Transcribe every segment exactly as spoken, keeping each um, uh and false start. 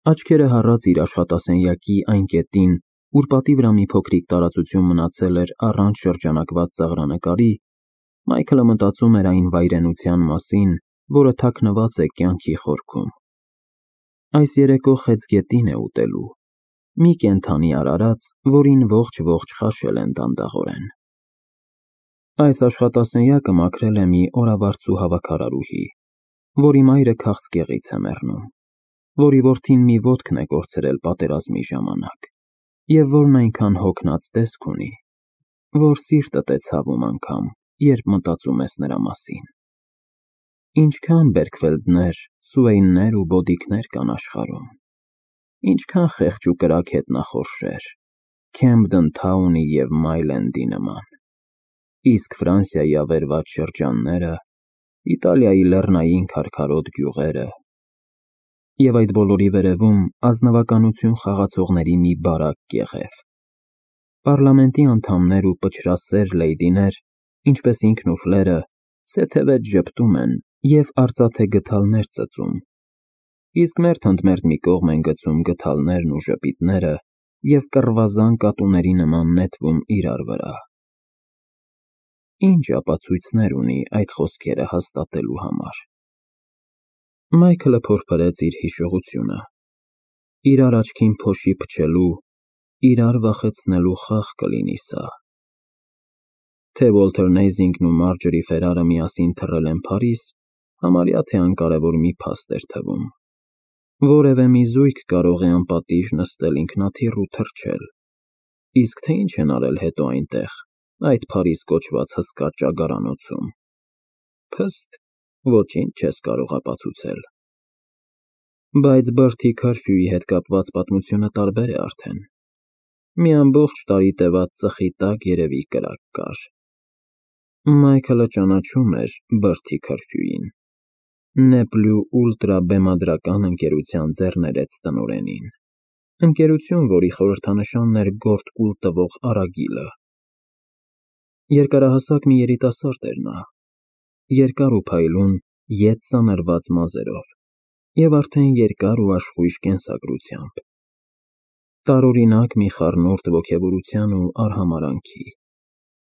Աչքերը հառած իր աշխատասենյակի այն կետին, ուր պատի վրա մի փոքրիկ տարածություն մնացել էր առանց շրջանակված ծաղրանկարի, Մայքլը մտածում էր այն վայրենության մասին, որը թաքնված է կյանքի խորքում։ Այս երեկո Խեց գետին է ուտելու մի կենդանի արարած, որին ողջ-ողջ խաշել են դանդաղորեն։ Այս աշխատասենյակը մաքրել է մի օրավարձու հավաքարարուհի, որի մայրը քաղցկեղից է մեռնում, որի որդին մի ոտքն է կորցրել պատերազմի ժամանակ, և որն այնքան հոգնած տեսք ունի, որ սիրտդ է ցավում անգամ, երբ մտածում ես նրա մասին։ Ինչքան Բերքֆելդներ, Սուեյններ ու Բոդիկներ կան աշխարհում, ինչքան խեղճ ու կրակ հետնախորշեր, Քեմփդեն Թաունի և Մայլենդի նման, իսկ Ֆրանսիայի ավերված շրջանները, Իտալիայի լեռնային քարքարոտ գյուղերը, և այդ բոլորի վերևում ազնվականություն խաղացողների մի բարակ կեղև, պառլամենտի անդամներ ու պչրասեր լեյդիներ, ինչպես ինքն ու Ֆլերը, սեթևետ ժպտում են և արծաթե գդալներ ծծում, իսկ մերթ ընդ մերթ մի կողմ են գցում գդալներն ու ժպիտները և կռվազան կատուների նման նետվում իրար վրա։ Ինչ ապացույցներ ունի այդ խոսքերը հաստատելու համար։ Մայքլը փորփրեց իր հիշողությունը, իրար աչքին փոշի փչելու, իրար վախեցնելու խաղ կլինի սա։ Թե Ուոլթեր Նեյզինգն ու Մարջորի Ֆերարը միասին թռել են Փարիզ, համարյա թե անկարևոր մի փաստ էր թվում։ Որևէ մի զույգ կարող է անպատիժ նստել ինքնաթիռ ու թռչել, իսկ թե ինչ են արել հետո այնտեղ, այդ Փարիզ կոչված հսկա ճագարանոցում, փստ, ոչինչ չես կարող ապացուցել։ Բայց Բրթի քարֆյուի հետ կապված պատմությունը տարբեր է արդեն։ Մի ամբողջ տարի տևած ծխի տակ երևի կրակ կար։ Մայքլը ճանաչում էր Բրթի քարֆյուին, Նեպլյու ուլտրա բեմադրական ընկերության ձեռներեց տնօրենին, ընկերություն, որի խորհրդանշանն էր գորտ կուլ տվող արագիլը։ Երկարահասակ մի երիտասարդ էր նա, երկար ու փայլուն, ետ սանրված մազերով և արդեն երկար ու աշխույժ կենսագրությամբ, տարօրինակ մի խառնուրդ ոգևորության ու արհամարհանքի,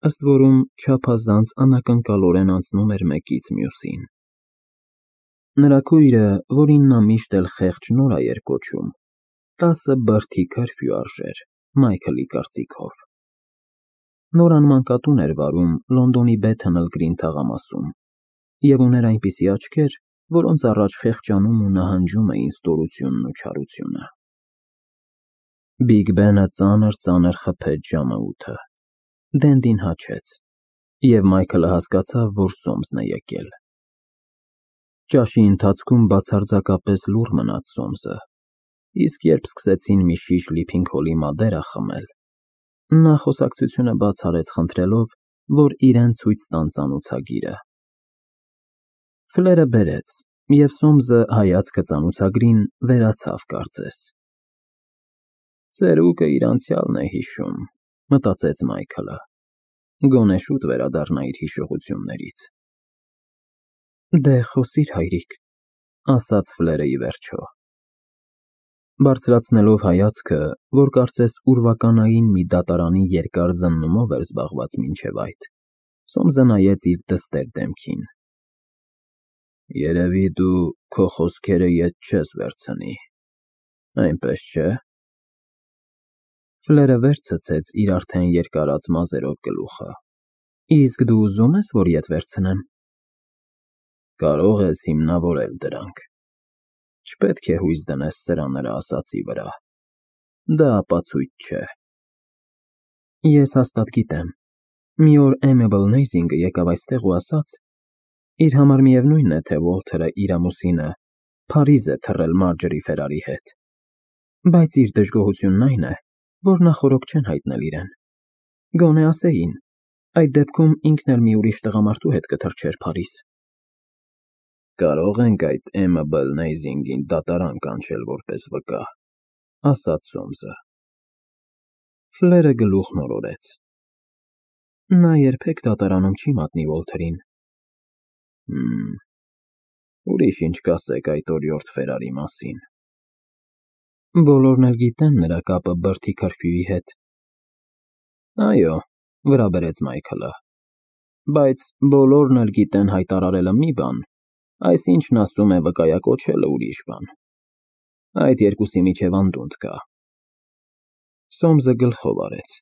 ըստ որում չափազանց անակնկալորեն անցնում էր մեկից մյուսին։ Նրա քույրը, որին նա միշտ էլ խեղճ Նորա էր կոչում, տասը Բրթի քարֆյու արժեր, Մայքլի կարծիքով։ Նորան մանկատուն էր վարում Լոնդոնի Բեթհըլ Գրին թաղամասում և ուներ այնպիսի աչքեր, որոնց առաջ խեղճանում ու նահանջում էին ստորությունն ու չարությունը։ Բիգ Բենը ծանր֊ծանր խփեց ժամը ութը, Դենդին հաչեց, և Մայքլը հասկացավ, որ Սոմսն է եկել։ Ճաշի ընթացքում բացարձակապես լուռ մնաց Սոմսը, իսկ երբ սկսեցին մի շիշ լիփինգ֊հոլի Մադերա խմել, նա խոսակցությունը բաց արեց խնդրելով, որ իրան ցույց տան ծանոցագիրը։ Ֆլերը բերեց, և Սոմսը հայացքը ծանոցագրին վերացավ կարծես։ Ծերուկը իր անցյալն է հիշում, մտածեց Մայքլը, գոնե շուտ վերադառնա իր հիշողություններից։ Դե խոսիր, հայրիկ, ասաց Ֆլերը ի վերջո։ Բարձրացնելով հայացքը, որ կարծես ուրվականային մի դատարանի երկար զննումով էր զբաղված մինչև այդ, Սոմսը նայեց իր դստեր դեմքին։ Երևի դու քո խոսքերը ետ չես վերցնի, այնպես չէ՞։ Ֆլերը վեր ցցեց իր արդեն երկարած մազերով գլուխը։ Իսկ դու ուզում ես, որ ետ վերցնեմ։ Կարող ես հիմնավորել դրանք։ Չպետք է հույս դնես սրա֊նրա ասածի վրա, դա ապացույց չէ։ Ես հաստատ գիտեմ, մի օր Էմեբլ Նեյզինգը եկավ այստեղ ու ասաց. իր համար միևնույն է, թե Ուոլթերը իր ամուսինը Փարիզ է թռել Մարջորի Ֆերարի հետ, բայց իր դժգոհությունն այն է, որ նախօրոք չեն հայտնել իրեն։ Գոնե ասեին, այդ դեպքում ինքն էլ մի ուրիշ տղամարդու հետ կթռչեր Փարիզ։ Կարող ենք այդ Էմեբլ Նեյզինգին դատարան կանչել որպես վկա, ասաց Սոմսը։ Ֆլերը գլուխն օրորեց։ Նա երբեք դատարանում չի մատնի Ուոլթերին։ Հըմ, ուրիշ ինչ կասեք այդ օրիորդ Ֆերարի մասին։ Բոլորն էլ գիտեն նրա կապը Բրդի քրֆյուի հետ։ Այո, վրա բերեց Մայքլը, բայց բոլորն էլ գիտեն հայտարարելը մի բան, այսինչն ասում է վկայակոչելը ուրիշ բան։ Այդ երկուսի միջև անդունդ կա։ Սոմսը գլխով արեց։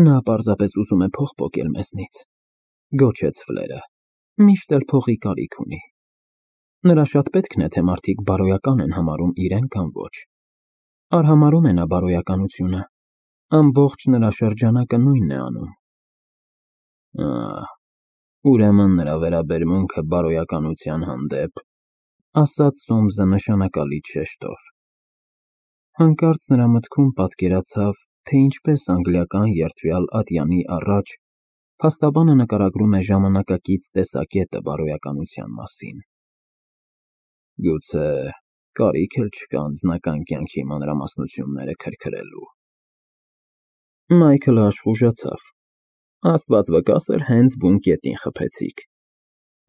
Նա պարզապես ուզում է փող պոկել մեզնից, գոչեց Ֆլերը, միշտ էլ փողի կարիք ունի։ Նրա շատ պետքն է, թե մարդիկ բարոյական են համարում իրեն կամ ոչ։ Արհամարհում է նա բարոյականությունը, ամբողջ նրա շրջանակը նույնն է անում։ Ահ, ուրեմն նրա վերաբերմունքը բարոյականության հանդեպ, ասաց Սոմսը նշանակալից շեշտով։ Հանկարծ նրա մտքում պատկերացավ, թե ինչպես անգլիական երդվյալ ատյանի առաջ փաստաբանը նկարագրում է ժամանակակից տեսակետը բարոյականության մասին։ Գուցե կարիք էլ չկա անձնական կյանքի մանրամասնությունները քրքրելու։ Մայքլը աշխուժացավ։ Աստված վկա սեր, հենց բուն կետին խփեցիք։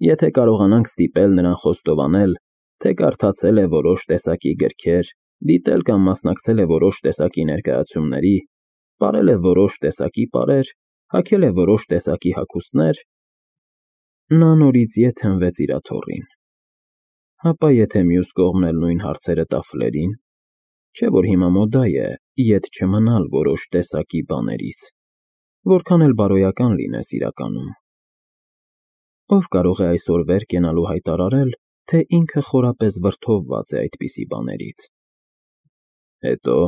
Եթե կարողանանք ստիպել նրան խոստովանել, թե կարդացել է որոշ տեսակի գրքեր, դիտել կամ մասնակցել է որոշ տեսակի ներկայացումների, պարել է որոշ տեսակի պարեր, հագել է որոշ տեսակի հագուստներ, նա նորից ետ հենվեց իր աթոռին։ Հապա եթե մյուս կողմն էլ նույն հարցերը տա Ֆլերին, չէ՞ որ հիմա մոդա է ետ չմնալ որոշ տեսակի բաներից, որքան էլ բարոյական լինես իրականում։ Ով կարող է այսօր վեր կենալու հայտարարել, թե ինքը խորապես վրդովված է այդպիսի բաներից։ Հետո,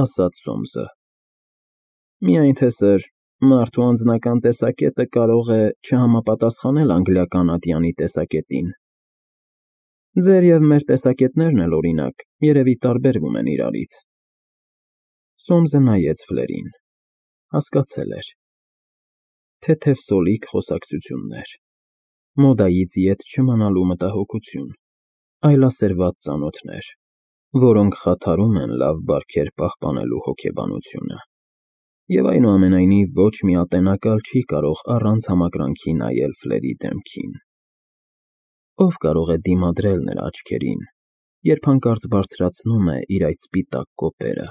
ասաց Սոմսը, միայն թե սր, մարդու անձնական տեսակետը կարող է չհամապատասխանել անգլիական ատյանի տեսակետին։ Ձեր և մեր տեսակետներն էլ, օրինակ, երևի տարբերվում են իրարից։ Սոմսը նայեց Ֆլերին, հասկացել էր։ Թեթև սոլիկ խոսակցություններ, մոդայից ետ չմնալու մտահոգություն, այլասերված ծանոթներ, որոնք խաթարում են լավ բարքեր պահպանելու հոգեբանությունը։ Եվ այնուամենայնիվ ոչ մի ատենակալ չի կարող առանց համակրանքի նայել Ֆլերի դեմքին։ Ով կարող է դիմադրել նրա աչքերին, երբ հանկարծ բարձրացնում է իր այդ սպիտակ կոպերը։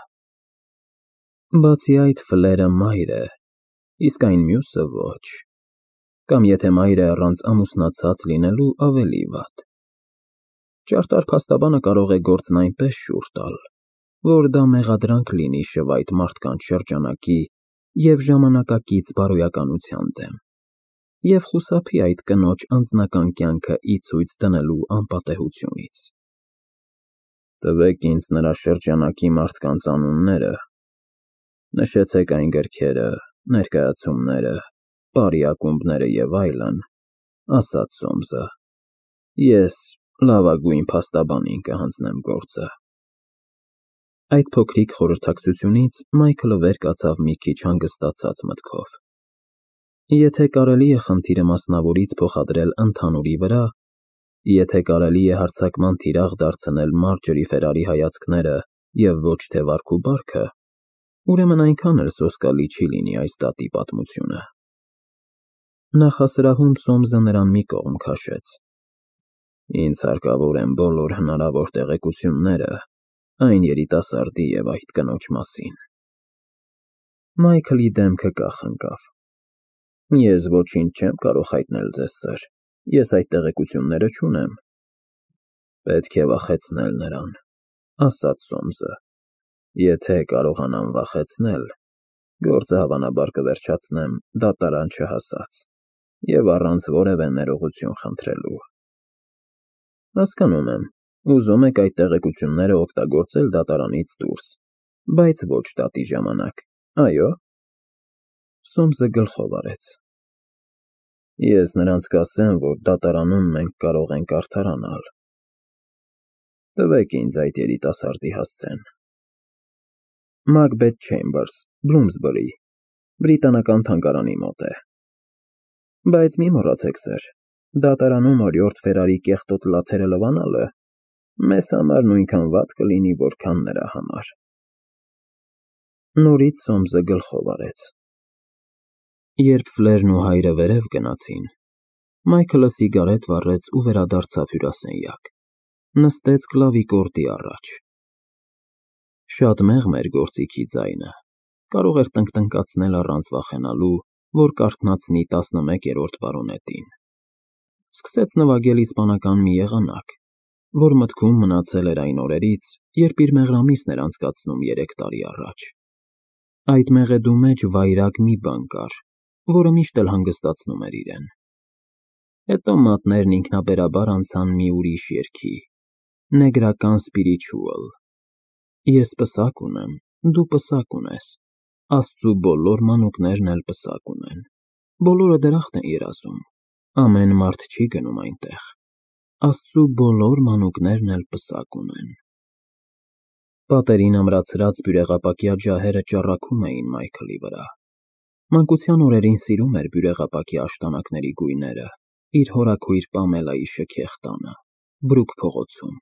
Բացի այդ, Ֆլերը մայր է, իսկ այն մյուսը ոչ։ Կամ եթե մայր է առանց ամուսնացած լինելու, ավելի վատ։ Ճարտար փաստաբանը կարող է գործն այնպես շուռ տալ, որ դա մեղադրանք լինի շվայտ մարդկանց շրջանակի և ժամանակակից բարոյականության դեմ, և խուսափի այդ կնոջ անձնական կյանքը ի ցույց դնելու անպատեհությունից։ Տվեք ինձ նրա շրջանակի մարդկանց անունները, նշեցեք այն գրքերը, ներկայացումները, պարի ակումբները և այլն, ասաց Սոմսը, ես լավագույն փաստաբանին կհանձնեմ գործը։ Այդ փոքրիկ խորհրդակցությունից Մայքլը վեր կացավ մի քիչ հանգստացած մտքով։ Եթե կարելի է խնդիրը մասնավորից փոխադրել ընդհանուրի վրա, եթե կարելի է հարձակման թիրախ դարձնել Մարջորի Ֆերարի հայացքները և ոչ թե վարք ու բարքը, ուրեմն այնքան էլ սոսկալի չի լինի այս դատի պատմությունը։ Նախասրահում Սոմսը նրան մի կողմ քաշեց։ Ինձ հարկավոր են բոլոր հնարավոր տեղեկությունները այն երիտասարդի և այդ կնոջ մասին։ Մայքլի դեմքը կախ ընկավ։ Ես ոչինչ չեմ կարող հայտնել ձեզ, սըր, ես այդ տեղեկությունները չունեմ։ Պետք է վախեցնել նրան, ասաց Սոմսը։ Եթե կարողանամ վախեցնել, գործը հավանաբար կվերջացնեմ դատարան չհասած և առանց որևէ ներողություն խնդրելու։ Հասկանում եմ, ուզում եք այդ տեղեկությունները օգտագործել դատարանից դուրս, բայց ոչ դատի ժամանակ, այո՞։ Սոմսը գլխով արեց։ Ես նրանց կասեմ, որ դատարանում մենք կարող ենք արդարանալ։ Տվեք ինձ այդ երիտասարդի հասցեն։ Մաքբեթ Չեյմբըրս, Բլումսբըրի, բրիտանական թանգարանի մոտ է։ Բայց մի մոռացեք, սըր, դատարանում օրիորդ Ֆերարի կեղտոտ լաթերը լվանալը մեզ համար նույնքան վատ կլինի, որքան նրա համար։ Նորից Սոմսը գլխով արեց։ Երբ Ֆլերն ու հայրը վերև գնացին, Մայքլը սիգարետ վառեց ու վերադարձավ հյուրասենյակ, նստեց կլավիկորդի առաջ։ Շատ մեղմ էր գործիքի ձայնը, կարող էր տնկտնկացնել առանց վախենալու, որ կարթնացնի տասնմեկերորդ բարոնետին։ Սկսեց նվագել իսպանական մի եղանակ, որ մտքում մնացել էր այն օրերից, երբ իր մեղրամիսն էր անցկացնում երեք տարի առաջ։ Այդ մեղեդու մեջ վայրագ մի բան կար, որը միշտ էլ հանգստացնում էր իրեն։ Հետո մատներն ինքնաբերաբար անցան մի ուրիշ երգի՝ Նեգրական Spiritual։ Ես պսակ ունեմ, դու պսակ ունես, Աստծու բոլոր մանուկներն էլ պսակ ունեն, բոլորը դրախտ են երազում, ամեն մարդ չի գնում այնտեղ, Աստծու բոլոր մանուկներն էլ պսակ ունեն։ Պատերին ամրացրած բյուրեղապակյա ջահերը ճառագում էին Մայքլի վրա։ Մանկության օրերին սիրում էր բյուրեղապակյա աշտանակների գույները, իր հորաքույր Պամելայի շքեղ տանը, Բրուք փողոցում։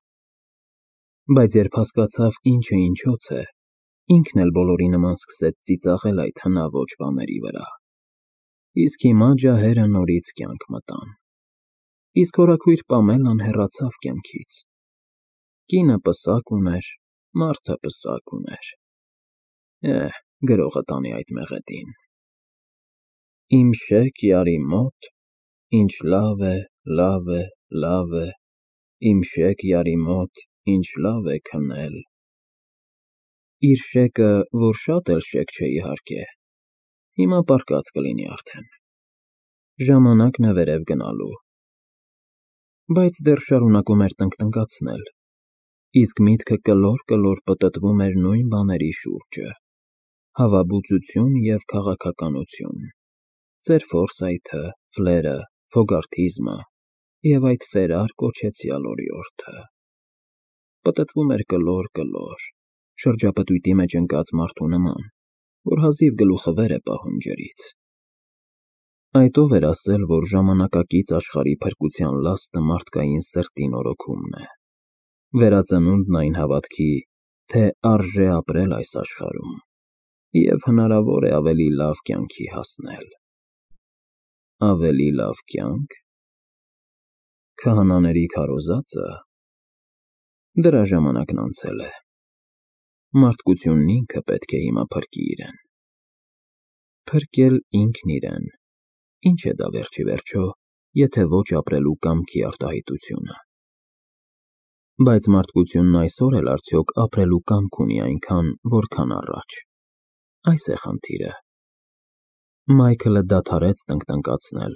Բայց երբ հասկացավ ինչը ինչոց է, ինքն էլ բոլորի նման սկսեց ծիծաղել այդ հնաոճ բաների վրա։ Իսկ հիմա ջահերը նորից կյանք մտան։ Իսկ հորաքույր Պամելան հեռացավ կյանքից։ Կինը պսակ ուներ, մարդը պսակ ուներ։ Էհ, գրողը տանի այդ մեղեդին։ Իմ շեկ յարի մոտ, ինչ լավ է, լավ է, լավ է, իմ շեկ յարի մոտ, ինչ լավ է քնել։ Իր շեկը, որ շատ էլ շեկ չէ իհարկե, հիմա պառկած կլինի արդեն։ Ժամանակն է վերև գնալու։ Բայց դեռ շարունակում էր տնկտնկացնել, իսկ միտքը կլոր-կլոր պտտվում էր նույն բաների շուրջը՝ հավաբուծություն և քաղաքականություն, ծեր Ֆորսայթը, Ֆլերը, Ֆոգարթիզմը և այդ ֆերար կոչեցյալ օրիորդը։ Պտտվում էր կլոր-կլոր, շրջապտույտի մեջ ընկած մարդու նման, որ հազիվ գլուխը վեր է պահում ջրից։ Այդ ով էր ասել, որ ժամանակակից աշխարհի փրկության լաստը մարդկային սրտի նորոգումն է, վերածնունդն այն հավատքի, թե արժե ապրել այս աշխարհում և հնարավոր է ավելի լավ կյանքի հասնել։ Ավելի լավ կյանք։ Քահանաների քարոզածը։ Դրա ժամանակն անցել է։ Մարդկությունն ինքը պետք է հիմա փրկի իրեն։ Փրկել ինքն իրեն, ինչ է դա վերջիվերջո, եթե ոչ ապրելու կամքի արտահայտությունը։ Բայց մարդկությունն այսօր էլ արդյոք ապրելու կամք ունի այնքան, որքան առաջ։ Այս է խնդիրը։ Մայքլը դադարեց տնկտնկացնել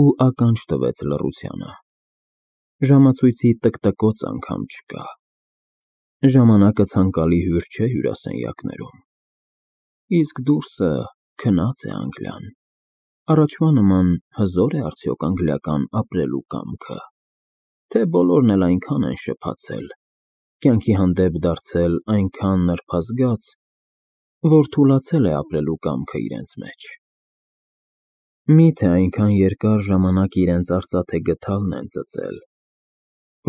ու ականջ տվեց լռությանը։ Ժամացույցի տկտկոց անգամ չկա։ Ժամանակը ցանկալի հյուր չէ հյուրասենյակներում։ Իսկ դուրսը քնած է Անգլիան։ Առաջվա նման հզո՞ր է արդյոք անգլիական ապրելու կամքը, թե բոլորն էլ այնքան են շփացել, կյանքի հանդեպ դարձել այնքան նրբազգաց, որ թուլացել է ապրելու կամքը իրենց մեջ։ Մի՞թե այնքան երկար ժամանակ իրենց արծաթե գդալն են ծծել,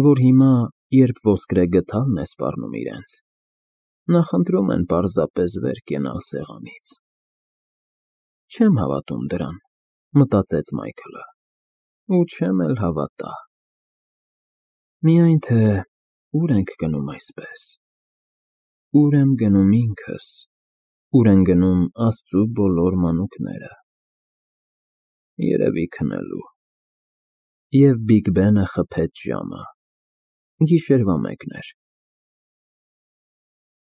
որ հիմա, երբ ոսկրե գդալն է սպառնում իրենց, նախընտրում են պարզապես վեր կենալ սեղանից։ Չեմ հավատում դրան, մտածեց Մայքլը, ու չեմ էլ հավատա։ Միայն թե ուր ենք գնում այսպես։ Ուր եմ գնում ինքս, ուր են գնում Աստծու բոլոր մանուկները։ Երևի քնելու։ Եվ Բիգ Բենը խփեց ժամը։ Գիշերվա մեկն էր։